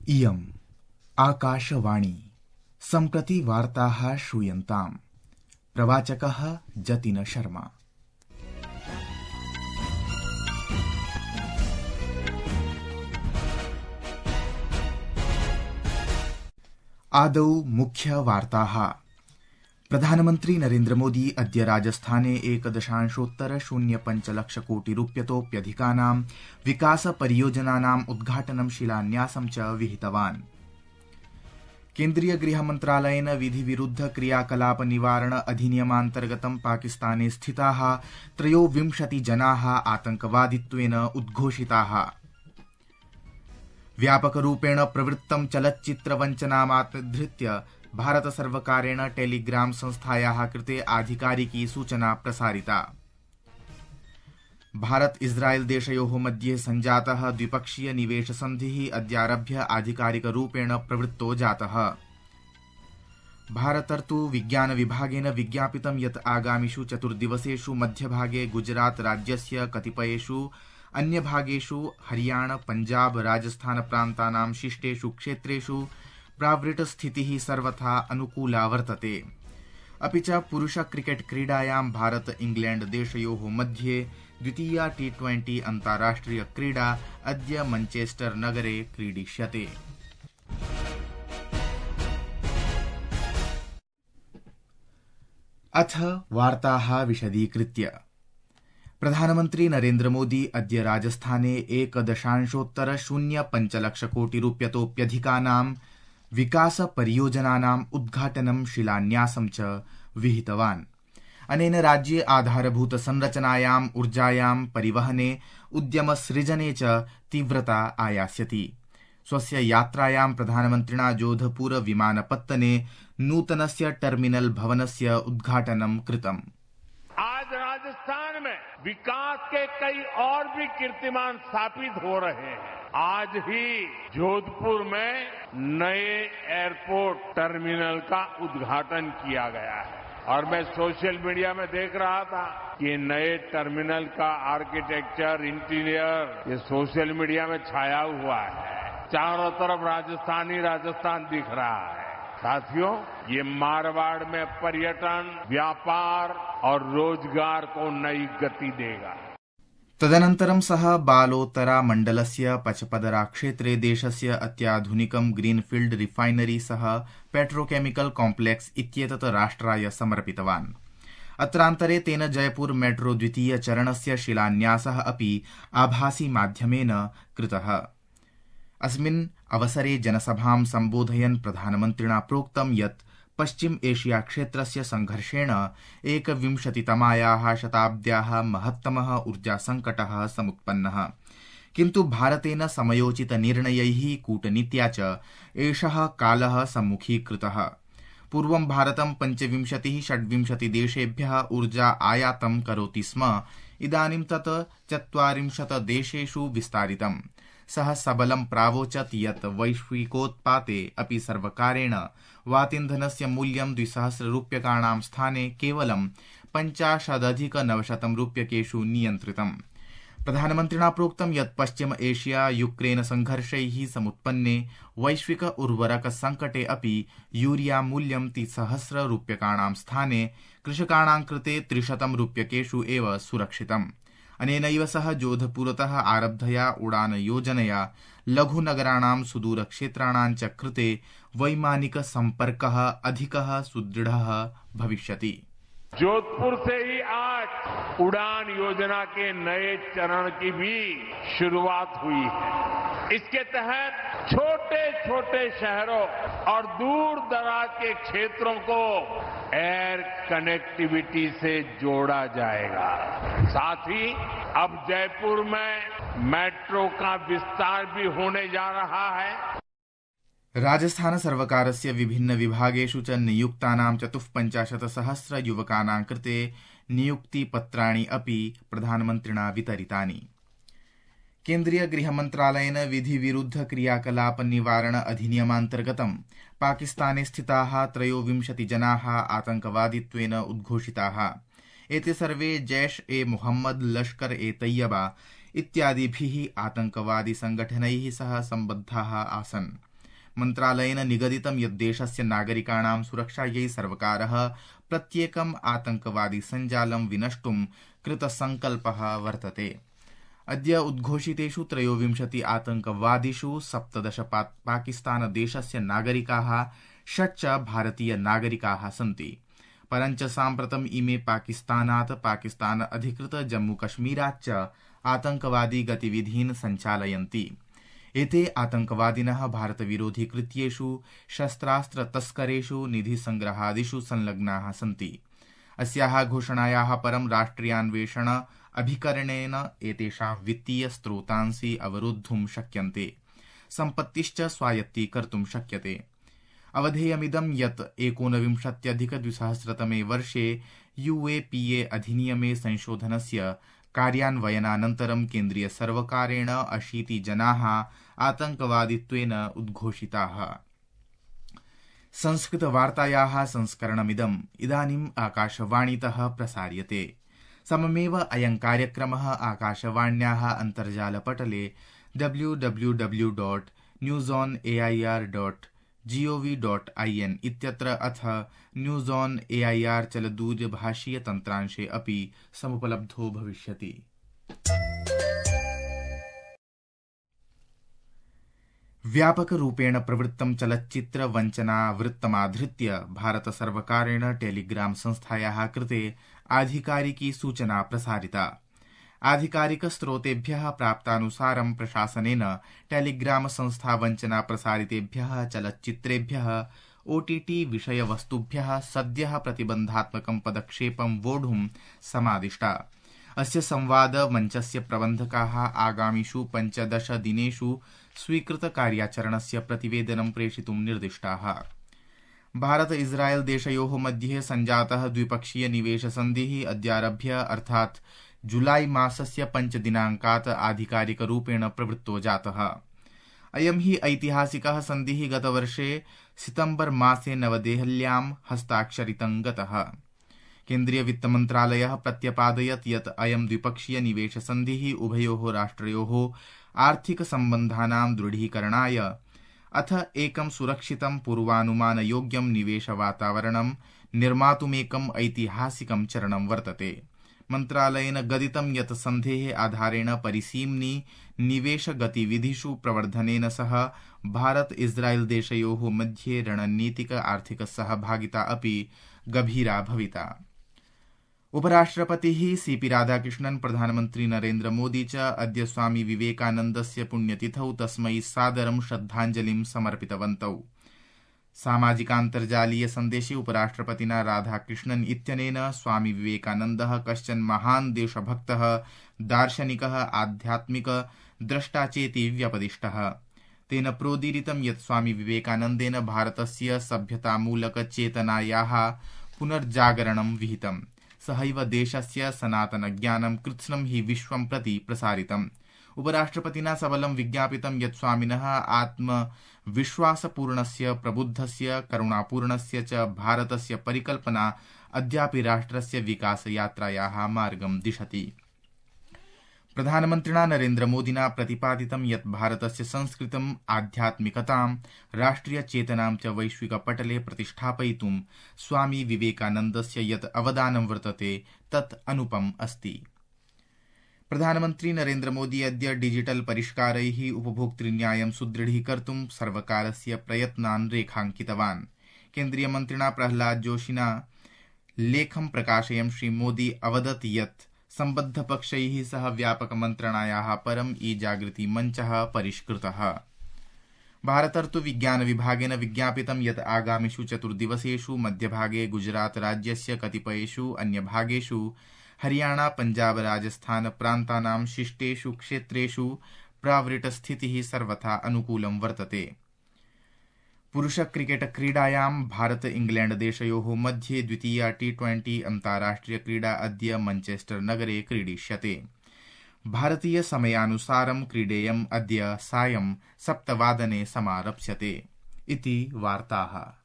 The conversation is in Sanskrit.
इयम् आकाशवाणी सम्प्रति वार्ताः श्रूयन्ताम्। प्रवाचकः जतिन शर्मा। आदौ मुख्य वार्ताः। प्रधानमन्त्री नरेन्द्र मोदी अद्य राजस्थाने 1.05 लक्षकोटिरूप्यतोऽप्यधिकानां विकास परियोजनानाम् उद्घाटनं शिलान्यासं च विहितवान्। केन्द्रीय गृहमन्त्रालयेन विधिविरुद्ध क्रियाकलाप निवारण अधिनियमान्तर्गतं पाकिस्ताने स्थिताः 23 जनाः आतंकवादित्वेन उद्घोषिताः। व्यापकरूपेण प्रवृत्तं चलच्चित्रवञ्चनामाधृत्य भारतसर्वकारेण टेलीग्राम संस्थायाः कृते आधिकारिकी सूचना प्रसारिता। भारत इस्राएल देशयोः मध्ये सञ्जातः द्विपक्षीय निवेश सन्धिः अद्यारभ्य आधिकारिकरूपेण प्रवृत्तो जातः। भारतर्तु विज्ञान विभागेन विज्ञापितं यत् आगामिषु 4 दिवसेषु मध्यभागे गुजरात राज्यस्य कतिपयेषु अन्यभागेषु हरियाणा पंजाब राजस्थान प्रान्तानां शिष्टेषु क्षेत्रेषु प्रावृट् स्थितिः सर्वथा अनुकूला वर्तते। अपि च पुरुष क्रिकेट क्रीडायां भारत इंग्लैंड देशयोः मध्ये द्वितीया T20 अन्ताराष्ट्रिय क्रीडा अद्य मैनचेस्टर नगरे क्रीडिष्यते। अथ वार्ताः विशदीकृत्य। प्रधानमन्त्री नरेन्द्र मोदी अद्य राजस्थाने 1.05 लक्षकोटिरूप्यतोऽप्यधिकानां विकास परियोजनानाम् उद्घाटनं शिलान्यासं च विहितवान्। अनेन राज्ये आधारभूत संरचनायाम् ऊर्जायां परिवहने उद्यम सृजने च तीव्रता आयास्यति। स्वस्य यात्रायां प्रधानमन्त्रिणा जोधपुर विमानपत्तने नूतनस्य टर्मिनल भवनस्य उद्घाटनं कृतम्। आज राजस्थान में विकास के कई और भी कीर्तिमान स्थापित हो रहे हैं। आज ही जोधपुर में नए एयरपोर्ट टर्मिनल का उद्घाटन किया गया है और मैं सोशल मीडिया में देख रहा था कि नए टर्मिनल का आर्किटेक्चर इंटीरियर ये सोशल मीडिया में छाया हुआ है। चारों तरफ राजस्थान दिख रहा है। साथियों, ये मारवाड़ में पर्यटन, व्यापार और रोजगार को नई गति देगा। तदनन्तरं सः बालोतरा मण्डलस्य पचपदरा क्षेत्रे देशस्य अत्याधुनिकं ग्रीनफील्ड रिफाइनरी सह पेट्रोकेमिकल कॉम्प्लेक्स इत्येतत् राष्ट्राय समर्पितवान्। अत्रान्तरे तेन जयपुर मेट्रो द्वितीय चरणस्य शिलान्यासः अपि आभासी माध्यमेन कृतः। अस्मिन् अवसरे जनसभां सम्बोधयन् प्रधानमन्त्रिणा प्रोक्तं यत् पश्चिम एशिया क्षेत्रस्य संघर्षेण 21तमायाः शताब्द्याः महत्तमः ऊर्जासङ्कटः समुत्पन्नः, किन्तु भारतेन समयोचितनिर्णयैः कूटनीत्या च एषः कालः सम्मुखीकृतः। पूर्वं भारतं 25-26 देशेभ्यः ऊर्जा आयातं करोति स्म, इदानीं तत् 40 देशेषु विस्तारितम्। सः सबलं प्रावोचत् यत् वैश्विकोत्पाते अपि सर्वकारेण वातीन्धनस्य मूल्यं 2,000 रूप्यकाणां स्थाने केवलं 50,900 रूप्यकेषु नियन्त्रितम्। प्रधानमन्त्रिणा प्रोक्तं यत् पश्चिम एशिया यूक्रेन संघर्षैः समुत्पन्ने वैश्विक उर्वरक संकटे अपि यूरिया मूल्यं 3,000 रूप्यकाणां स्थाने कृषकाणां कृते 300 रूप्यकेषु एव सुरक्षितम्। अनेनैव सह जोधपुरतः आरब्धया उड़ान योजनया लघुनगराणां सुदूरक्षेत्राणां च कृते वैमानिक सम्पर्कः अधिकः सुदृढ़ः भविष्यति। जोधपुर से ही आज उड़ान योजना के नए चरण की भी शुरुआत हुई है। इसके तहत छोटे छोटे शहरों और दूर दराज के क्षेत्रों को एयर कनेक्टिविटी से जोड़ा जाएगा। साथ ही अब जयपुर में मेट्रो का विस्तार भी होने जा रहा है। राजस्थान सर्वकारस्य विभिन्न विभागेषु च नियुक्तानां 54,000 युवकानां कृते नियुक्तिपत्राणि अपि प्रधानमन्त्रिणा वितरितानि। केन्द्रीय गृहमन्त्रालयेन विधिविरुद्ध क्रियाकलाप निवारण अधिनियमान्तर्गतं पाकिस्ताने स्थिताः 23 जनाः आतंकवादित्वेन उद्घोषिताः। एते सर्वे जैश ए मोहम्मद, लश्कर ए तैयबा इत्यादिभिः आतंकवादी संगठनैः सह सम्बद्धाः आसन्। मन्त्रालयेन निगदितं यत् देशस्य नागरिकाणां सुरक्षायै सर्वकारः प्रत्येकम् आतंकवादी सञ्जालं विनष्टुं कृतसंकल्पः वर्तते। अद्य उद्घोषितेषु 23 आतंकवादिषु 17 पाकिस्तानदेशस्य नागरिकाः, 6 च भारतीय नागरिकाः सन्ति। परञ्च साम्प्रतम् इमे पाकिस्तानात्, पाकिस्तान अधिकृत जम्मूकश्मीराच्च आतंकवादी गतिविधीन् सञ्चालयन्ति। एते आतंकवादिनः भारतविरोधि कृत्येषु, शस्त्रास्त्र तस्करेषु, निधिसंग्रहादिषु संलग्नाः सन्ति। अस्याः घोषणायाः परं राष्ट्रियान्वेषण अभिकरणेन एतेषां वित्तीय स्रोतांसि अवरोद्धुं शक्यन्ते, सम्पत्तिश्च स्वायत्तीकर्तुं शक्यते। अवधेयमिदं यत् 19-2000 वर्षे UAPA अधिनियमे संशोधनस्य कार्यान्वयनानन्तरं केन्द्रीयसर्वकारेण 80 जनाः आतंकवादित्वेन उद्घोषिताः। संस्कृतवार्तायाः संस्करणमिदम् इदानीम् आकाशवाणीतः प्रसार्यते। सममेव अयं कार्यक्रमः आकाशवाण्याः अन्तर्जालपटले www.newsonair.gov.in इत्यत्र अथ न्यूज़ ऑन AIR चलदूरभाषीय तन्त्रांशे अपि समुपलब्धो भविष्यति। व्यापकरूपेण प्रवृत्तं चलच्चित्र वञ्चना वृत्तमाधृत्य भारत सर्वकारेण टेलीग्राम संस्थायाः कृते आधिकारिकी सूचना प्रसारिता। आधिकारिकस्रोतेभ्यः प्राप्तानुसारं प्रशासनेन टेलीग्राम संस्था वञ्चना प्रसारितेभ्यः चलच्चित्रेभ्यः OTT विषयवस्तुभ्यः सद्यः प्रतिबन्धात्मकं पदक्षेपं वोढुं समादिष्टा। अस्य संवाद मञ्चस्य प्रबन्धकाः आगामिषु 15 दिनेषु स्वीकृतकार्याचरणस्य प्रतिवेदनं प्रेषितुं निर्दिष्टाः। भारत इस्राएल देशयोः मध्ये सञ्जातः द्विपक्षीय निवेशसन्धिः अद्यारभ्य अर्थात् जुलाई मासस्य 5 दिनाङ्कात् आधिकारिकरूपेण प्रवृत्तो जातः। अयं हि ऐतिहासिकः सन्धिः गतवर्षे सितम्बर मासे नवदेहल्यां हस्ताक्षरितं गतः। केन्द्रीय वित्तमन्त्रालयः प्रत्यपादयत् यत् अयं द्विपक्षीय निवेशसन्धिः उभयोः राष्ट्रयोः आर्थिकसम्बन्धानां दृढीकरणाय अथ एकं सुरक्षितं पूर्वानुमानयोग्यं निवेशवातावरणं निर्मातुमेकम् ऐतिहासिकं चरणं वर्तते। मन्त्रालयेन गदितं यत् सन्धेः आधारेण परिसीम्नि निवेशगतिविधिषु प्रवर्धनेन सह भारत इस्राएल देशयोः मध्ये रणनीतिक आर्थिक सहभागिता अपि गभीरा भविता। उपराष्ट्रपतिः CP राधाकृष्णन्, प्रधानमन्त्री नरेन्द्र मोदी च अद्य स्वामी विवेकानन्दस्य पुण्यतिथौ तस्मै सादरं श्रद्धाञ्जलिं समर्पितवन्तौ। सामाजिकान्तर्जालीय सन्देशे उपराष्ट्रपतिना राधाकृष्णन् इत्यनेन स्वामी विवेकानन्दः कश्चन महान् देशभक्तः, दार्शनिकः, आध्यात्मिक द्रष्टा चेति व्यपदिष्टः। तेन प्रोदीरितं यत् स्वामी विवेकानन्देन भारतस्य सभ्यतामूलकचेतनायाः पुनर्जागरणं विहितम्। सहैव देशस्य सनातनज्ञानं कृत्स्नं हि विश्वं प्रति प्रसारितम्। उपराष्ट्रपतिना सबलं विज्ञापितं यत् स्वामिनः आत्मविश्वासपूर्णस्य, प्रबुद्धस्य, करुणापूर्णस्य च भारतस्य परिकल्पना अद्यापि राष्ट्रस्य विकासयात्रायाः मार्गं दिशति। प्रधानमन्त्रिणा नरेन्द्रमोदिना प्रतिपादितं यत् भारतस्य संस्कृतिम्, आध्यात्मिकतां, राष्ट्रियचेतनां च वैश्विकपटले प्रतिष्ठापयितुं स्वामी विवेकानन्दस्य यत् अवदानं वर्तते तत् अनुपम् अस्ति। प्रधानमन्त्री नरेन्द्र मोदी अद्य डिजिटल परिष्कारैः उपभोक्तृन्यायं सुदृढीकर्तुं सर्वकारस्य प्रयत्नान् रेखाङ्कितवान्। केन्द्रीयमन्त्रिणा प्रह्लाद जोशिना लेखं प्रकाशयन् श्रीमोदी अवदत् यत् सम्बद्धपक्षैः सह व्यापकमन्त्रणायाः परं ई-जागृति मञ्चः परिष्कृतः। भारतर्तु विज्ञानविभागेन विज्ञापितं यत् आगामिषु 4 दिवसेषु मध्यभागे गुजरात राज्यस्य कतिपयेषु अन्यभागेषु हरियाणा, पञ्जाब, राजस्थान प्रान्तानां शिष्टेषु क्षेत्रेषु प्रावृट्स्थितिः सर्वथा अनुकूलं वर्तते। पुरुष क्रिकेट क्रीडायां भारत इंग्लैंड देशयोः मध्ये द्वितीया T20 अन्ताराष्ट्रिय क्रीडा अद्य मैनचेस्टर नगरे क्रीडिष्यते। भारतीय समयानुसारं क्रीडेयम् अद्य सायं 7 वादने समारप्स्यते। इति वार्ताः।